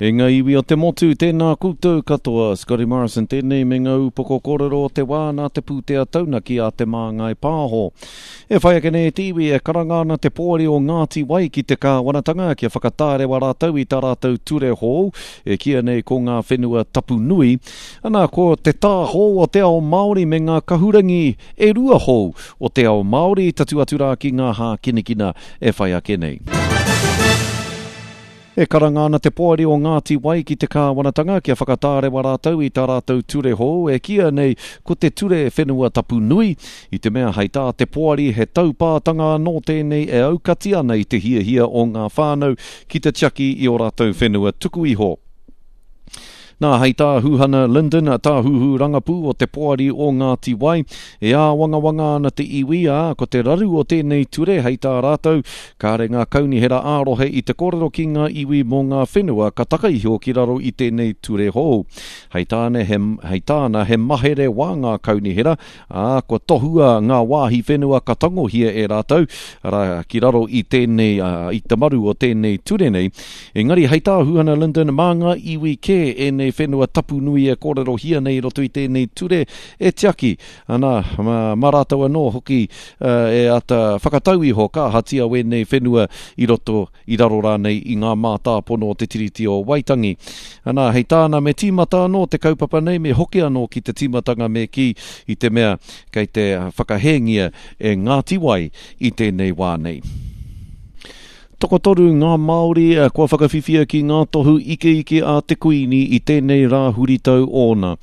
E ngā iwi o te motu, tēnā koutou katoa. Scotty Morrison tēnei me ngā upoko kōrero o te wā nā te pūtea taunaki a Te Māngai Pāho. E whai ake nei te iwi e karanga ana te poari o Ngāti Wai ki te kāwanatanga kia whakatārewa rātou i tā rātou ture hou e kīia nei ko ngā whenua tapu nui. Ana, ko te tā hou o te ao Māori me ngā kahurangi e rua hou o te ao Māori tatū atu rā ki ngā hākinakina e whai ake nei. E karanga ana te Poari o Ngāti Wai ki te kāwanatanga kia whakatārewa rātou i tā rātou ture hou e kīia nei ko te Ture Whenua Tapu Nui, i te mea hei tā te Poari he taupātanga anō tēnei e aukati ana i te hiahia o ngā whānau ki te tiaki i ō rātou whenua tuku iho. Nā, hei tā Huhana Lyndon, tāhuhu rangapū o te Poari o Ngāti Wai, e āwangawanga ana te iwi, ā, ko te raru o tēnei ture, hei tā rātou, kāre ngā kaunihera ā-rohe i te kōrero ki ngā iwi mō ngā whenua ka taka iho ki raro i tēnei ture hou. Hei tāna, he, hei tāna, he mahere wā ngā kaunihera, ā, kua tohua ngā wāhi whenua ka tangohia e rātou, arā, ki raro i tēnei, ā, i te maru o tēnei ture nei. Engari, hei tā Huhana Lyndon, mā ngā iwi kē ēnei whenua tapu nui e kōrerohia nei i roto i tēnei ture e tiaki, ana, mā, mā rātou anō hoki e āta whakatau iho ka ahatia wēnei whenua i roto i raro rānei i ngā mātāpono o te Tiriti o Waitangi. Anā, hei tāna, me tīmata anō te kaupapa nei, me hoki anō ki te tīmatanga me kī, i te mea kei te whakahēngia e Ngāti Wai i tēnei wā nei. Tokotoru ngā Māori kua whakawhiwhia ki ngā tohu ikeike a te Kuini i tēnei rā huritau ōna.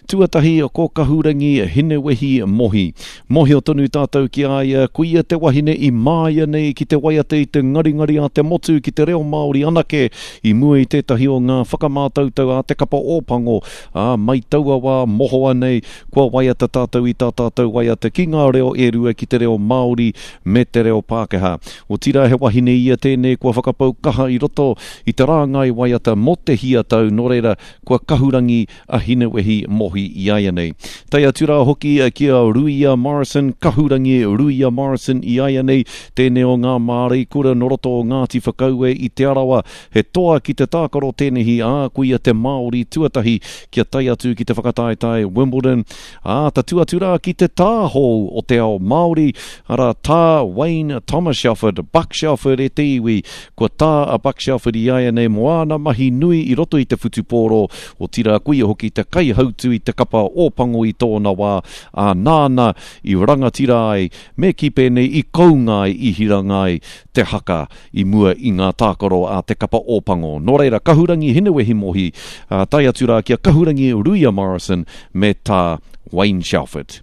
Tuatahi ko Kahurangi Hinewehi Mohi. Mohio tonu tātou ki a ia, ko ia te wahine i māia nei ki te waiata i te ngaringari a te motu ki te reo Māori anake i mua i tētahi o ngā whakamātautau a te kapa Ōpango, ā, mai taua wā mohoa nei kua waiata tātou i tā tātou waiata ki ngā reo e rua ki te reo Māori me te reo Pākehā. Otirā he wahine ia tēnei kua whakapau kaha i roto i te rāngai waiata mō te hia tau, nō reira kua kahurangi a Hinewehi Mohi iaianei. Tae atu rā hoki ki a Ruia Morrison, Kahurangi Ruia Morrison iaianei, tēnei o ngā māreikura nō roto o Ngāti Whakaue i Te Arawa, he toa ki te tākaro tēnehi, ā, ko ia te Māori tuatahi kia tae atu ki te whakataetae Wimbledon, ā, tatū atu rā ki te tāhou o te ao Māori, arā, tā Wayne Thomas Shelford, Buck Shelford e te iwi, Kua tā a Buck Shelford iaianei mō āna mahi nui i roto i te whutupōro, otirā ko ia hoki te kaihautū i te kapa Ōpango i tōna wā, ā, nāna i rangatira ai, me kī pēnei i kounga ai, i hiranga ai te haka i mua i ngā tākaro a te kapa Ōpango. Nō reira, Kahurangi Hinewehi Mohi, ā, tae atu rā ki a Kahurangi Ruia Morrison me tā Wayne Shelford.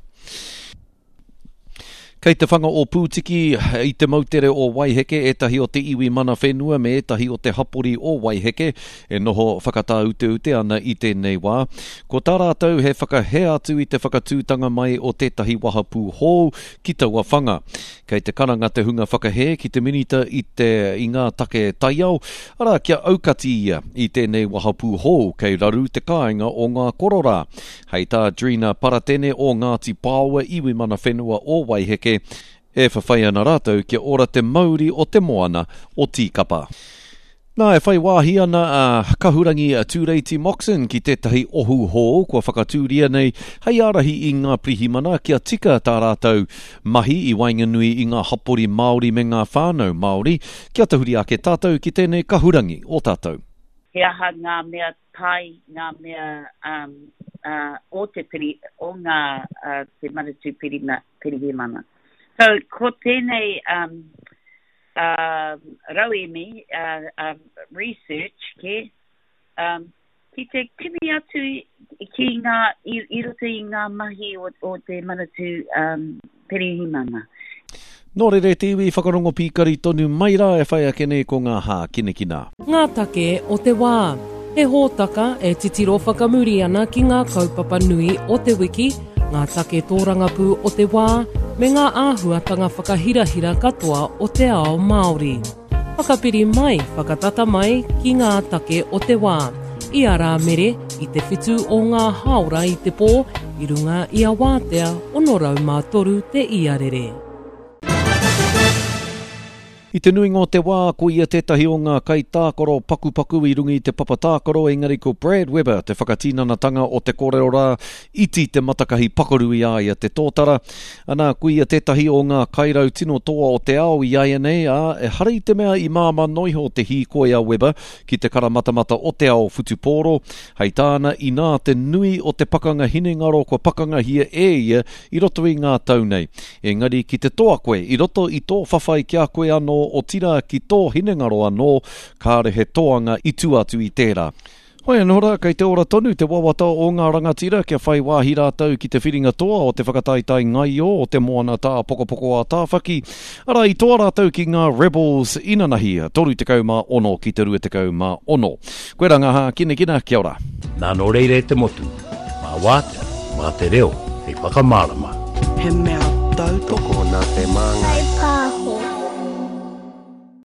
Kei te whanga o Pūtiki i te moutere o Waiheke ētahi o te iwi mana whenua me ētahi o te hapori o Waiheke e noho whakatāuteute ana i tēnei wā. Ko tā rātou he whakahē atu i te whakatūtanga mai o tētahi wahapū hou ki taua whanga. Kei te karanga te hunga whakahē ki te minita i te i ngā take taiao, arā kia aukati ia i tēnei wahapū hou kei raru te kāinga o ngā kororā. Hei tā Drina Paratene o Ngāti Pāoa iwi mana whenua o Waiheke, e whawhai ana rātou kia ora te mauri o te moana o Tīkapa. Nā, e whai wāhi ana a Kahurangi Tūreiti Moxon ki tētahi ohu hou kua whakatūria nei hei ārahi i ngā pirihimana kia tika tā rātou mahi i waenganui i ngā hapori Māori me ngā whānau Māori, kia tahuri ake tātou ki tēnei kahurangi o tātou. He aha ngā mea pai ngā mea um, uh, o te piri, o ngā uh, te Manatū Pirima, Pirihimana. So, ko tēnei um, uh, rauemi, uh, um, research, ke, um, ki te kimi atu ki ngā, i, i roto i ngā mahi o, o te Manatū um, Pirihimana. Nō reira e te iwi, whakarongo pīkari tonu mai rā e whai ake nei ko ngā hākinakina. Ngā take o te wā. He hōtaka e titiro whakamuri ana ki ngā kaupapa nui o te wiki, ngā take tōrangapū o te wā, me ngā āhuatanga whakahirahira katoa o te ao Māori. Whakapiri mai, whakatata mai ki ngā take o te wā. I a Rāmere, i te whitu o ngā hāora i te pō, i runga i a Wātea 603 te iarere. I te nuinga o te wā, ko ia tētahi o ngā kaitākaro pakupaku i runga i te papa tākaro, engari ko Brad Weber te whakatinanatanga o te kōrero rā, iti te matakahi pakaru i a ia te tōtara. Anā, ko ia tētahi o ngā kairau tino toa o te ao i āianei, ā, ehara i te mea i māmā noa iho te hīkoi a Weber ki te karamatamata o te ao whutupōro. Hei tāna, inā te nui o te pakanga hinengaro kua pakangahia e ia i roto i ngā tau nei. Engari ki te toa koe i roto i tō whawhai ki a koe anō, otirā ki tō hinengaro anō, kāre he toanga i tua atu i tērā. Hoi anō rā, kei te ora tonu te wawata o ngā rangatira kia whai wāhi rātou ki te whiringa toa o te whakataetae ngaio o te Moana Tāpokopoko a Tāwhaki, arā i toa rātou ki ngā Rebels inanahi, 36 ki te 26. Koirā ngā hākinakina, kia ora. Nā nō reira e te motu, mā wātea, mā te reo hei whakamārama. He mea tautoko nā te Māngai.